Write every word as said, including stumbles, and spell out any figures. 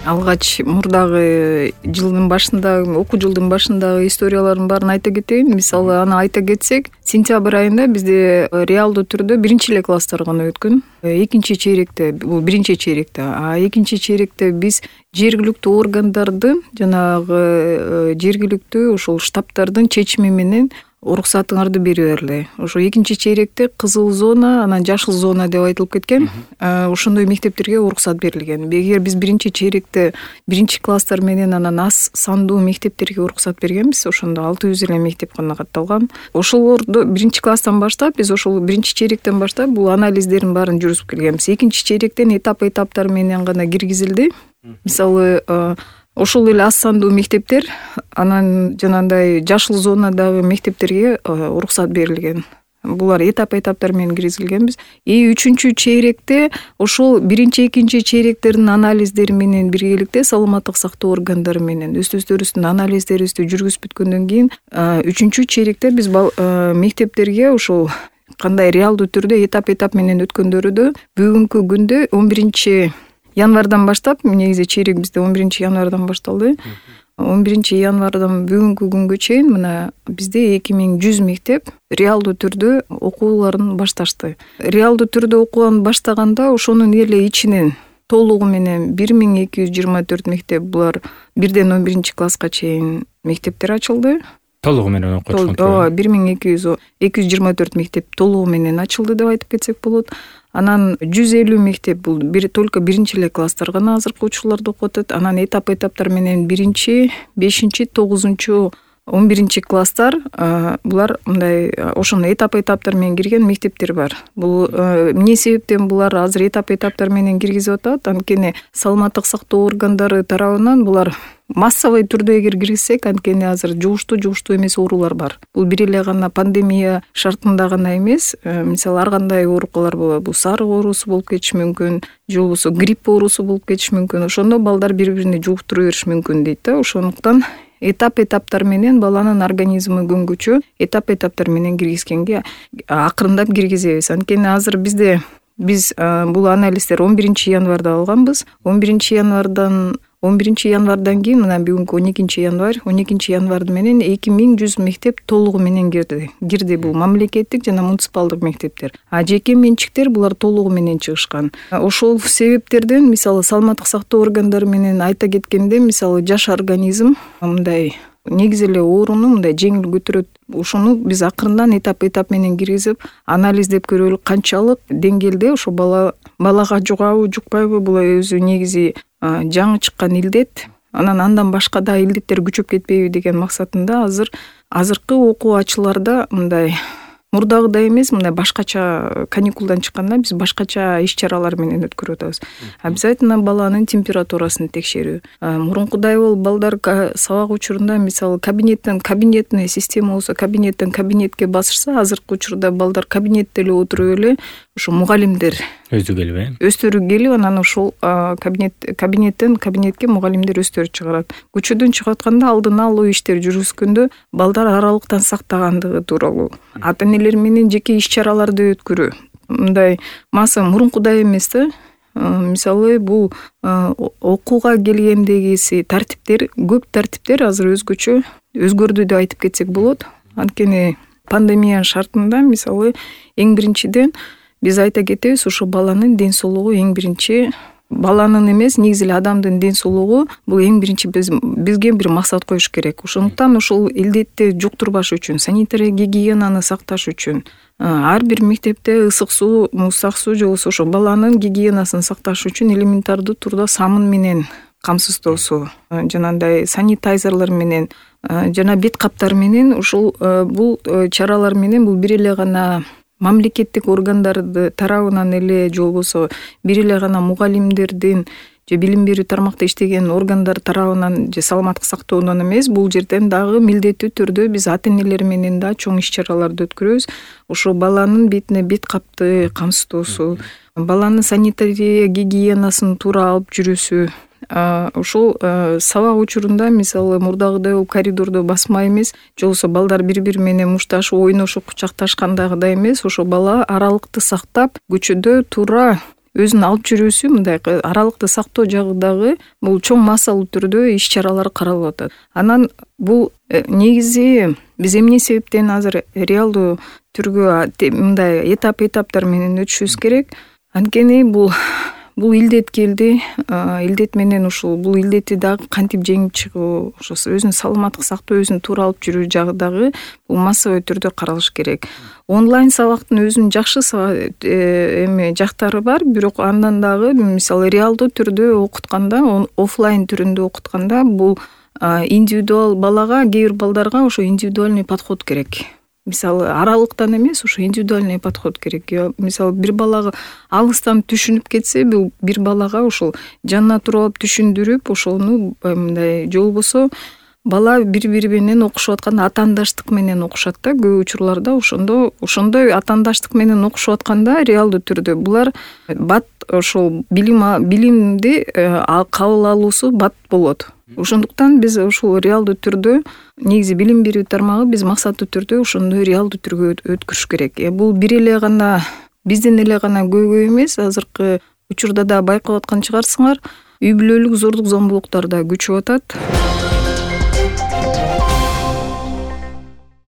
алгач мурдагы жылдын башындагы окуу жылдын башындагы историялардын баарын айта кетейин. Мисалы аны айта кетсек, сентябрь айында бизде реалдуу түрдө биринчи эле класстар гана өткөн. Экинчи чейректе, бул биринчи чейректе, а экинчи чейректе биз жергиликтүү органдардын, жанагы жергиликтүү ошол штабтардын чечими менен уруксатыңарды берип бергиле. Ошо экинчи чейректе кызыл зона, анан жашыл зона деп айтылып кеткен. Ошондой мектептерге уруксат берилген. Эгер биз биринчи чейректе биринчи класстар менен анан аз сандуу мектептерге уруксат бергенбиз, ошондо алты жүз эле мектеп гана катталган. Ошолорду биринчи класстан баштап биз ошол биринчи чейректен баштап бул анализдердин баарын жүргүзүп келгенбиз. Экинчи чейректен этап этаптар менен гана киргизилди. Мисалы ошол эле аз сандуу мектептер, анан жанагындай жашыл зонадагы мектептерге уруксат берилген. Булар этап этаптар менен киргизилгенбиз. И үчүнчү чейректе ошол биринчи, экинчи чейректердин анализдери менен биргеликте саламаттык сактоо органдары менен өз-өздөрүбүздүн анализдерибизди жүргүзүп бүткөндөн кийин үчүнчү чейректе биз мектептерге ошол кандай реалдуу түрдө этап этап менен өткөндөрү бүгүнкү күндө он биринчи январдан баштап, негизи чейрек бизде он биринчи январдан башталды. он биринчи январдан бүгүнкү күнгө чейин мына бизде эки миң жүз мектеп реалдуу түрдө окууларын башташты. Реалдуу түрдө окууган баштаганда ошонун эле ичинен толугу менен бир миң эки жүз жыйырма төрт мектеп, булар бирден он биринчи класска чейин мектептер ачылды. Толугу менен окутушкан. Ооба, бир миң эки жүз эки жүз жыйырма төрт мектеп толугу менен ачылды деп айтып кетсек болот. Анан жүз элүү мектеп, бул бир только биринчи эле класстар гана азыркы учурларда окуп атат. Анан этап этаптар менен биринчи, бешинчи, тогузунчу, он биринчи класстар, булар мындай ошондой этап этаптар менен кирген мектептер бар. Бул эмне себептен булар азыр этап этаптар менен киргизип атат? Анткени саламаттык сактоо органдары тарабынан булар массовый түрдө эгер киргизсек, анткени азыр жугуштуу жугуштуу эмес оорулар бар. Бул бир эле гана пандемия шартында гана эмес, мисалы ар кандай оорукалар болот. Бул сарык оорусу болуп кетиши мүмкүн, же болбосо грипп оорусу болуп кетиши мүмкүн. Ошондо балдар бири-бирине жугуктура бериши мүмкүн дейт да. Ошондуктан этап этаптар менен баланын организми көнгүчө этап этаптар менен киргизгенге акырындап киргизебиз. Анткени азыр бизде биз бул анализдер он биринчи январда алганбыз. он биринчи январдан он биринчи январдан кийин мына бүгүнкү он экинчи январь, он экинчи январь менен эки миң жүз мектеп толугу менен кирди. Кирди бул мамлекеттик жана муниципалдык мектептер. А жеке менчиктер булар толугу менен чыгышкан. Ошол себептерден мисалы саламаттык сактоо органдары менен айта кеткенде, мисалы жаш организм мындай негизи эле ооруну мындай жеңил көтөрөт. Ошону биз акырындан этап этап менен киргизип, анализдеп көрөлү, канчалык деңгээлде ошо бала балага жугабы, жукпайбы, бул өзү негизи жаңы чыккан илдет. Анан андан башка да илдеттер күчөп кетпейби деген максатында азыр азыркы окуучуларда мындай мурдагыдай эмес, мындай башкача каникулдан чыкканда биз башкача иш-чаралар менен өткөрүп атабыз. Обязательно баланын температурасын текшерүү. Мурункудай болуп балдар сабак учурунда мисалы кабинеттен кабинетный система болсо кабинеттен кабинетке басышса, азыркы учурда балдар кабинетте эле отуруп эле ошо мугалимдер өздү келип, э? Өздөрү келип, анан ошол кабинет кабинеттен кабинетке мугалимдер өздөрү чыгарат. Көчөдөн чыгып атканда алдын алуу иштери жүргүзгөндө балдар аралыктан сактагандыгы тууралуу, ата-энелер менен жеке иш-чараларды өткөрүү. Мындай маса мурункудай эмес да. Мисалы бул окууга келгендегиси тартиптер, көп тартиптер азыр өзгөчө өзгөрдү деп айтып кетсек болот. Анткени пандемия шартында мисалы эң биринчиден биз айта кетебиз, ошо баланын ден соолугу эң биринчи, баланын эмес, негизи эле адамдын ден соолугу бул эң биринчи биз бизге бир максат коюш керек. Ошондуктан ошол илдетти жуктурбаш үчүн, санитария гигиенаны сакташ үчүн ар бир мектепте ысык суу, муздак суу, же болбосо ошо баланын гигиенасын сакташ үчүн элементардуу турда самын менен камсыздоосу, жанагындай санитайзерлер менен жана бет каптар менен ушул бул чаралар менен бул бир эле гана мамлекеттик органдарды тарабынан эле, же болбосо бир эле гана мугалимдердин же билим берүү тармакта иштеген органдар тарабынан же саламаттык сактоодон эмес, бул жерден дагы милдеттүү түрдө биз ата-энелер менен да чоң иш-чараларды өткөрөбүз. Ошо баланын бетине бет капты камсыздоосу, баланын санитария гигиенасын туура алып жүрүүсү. Ошол сабак учурунда мисалы мурдагыдай болуп коридордо басма эмес, же болбосо балдар бири-бири менен мушташып, ойношуп, кучакташкандагыдай эмес, ошо бала аралыкты сактап, көчөдө туура өзүнүн алып жүрүүсү мындай аралыкты сактоо жагындагы бул чоң массалуу түрдө иш чаралар каралып атат. Анан бул негизи биз эмне себептен азыр реалдуу түргө мындай этап этаптар менен өтүшүбүз керек. Анткени бул бул илдет келди. Илдет менен ушул бул илдетти дагы кантип жеңип чыгуу, ошо өзүнүн саламаттык сактоо, өзүн туура алып жүрүү жагы дагы бул массовый түрдө каралыш керек. Онлайн сабактын өзүнүн жакшы эме жактары бар, бирок андан дагы мисалы реалдуу түрдө окутканда, офлайн түрүндө окутканда бул индивидуал балага, кээ бир балдарга ошо индивидуальный подход керек. Мисалы аралыктан эмес, ошо индивидуальный подход керек. Мисалы бир балага алыстан түшүнүп кетсе, бул бир балага ошол жанына туруп алып түшүндүрүп, ошону мындай же болбосо бала бири-бири менен окушуп атканда атаандаштык менен окушат да көп учурларда. Ошондо ошондой атаандаштык менен окушуп атканда реалдуу түрдө булар бат ошол билим билимди кабыл алуусу бат болот. Ошондуктан биз ушул реалдуу түрдө негизи билим берүү тармагы биз максаттуу түрдө ошондой реалдуу түргө өткөрүш керек. Бул бир эле гана бизден эле гана көйгөй эмес, азыркы учурда да байкап аткан чыгарсыңар, үй бүлөлүк зордук зомбулуктар да күчөп атат.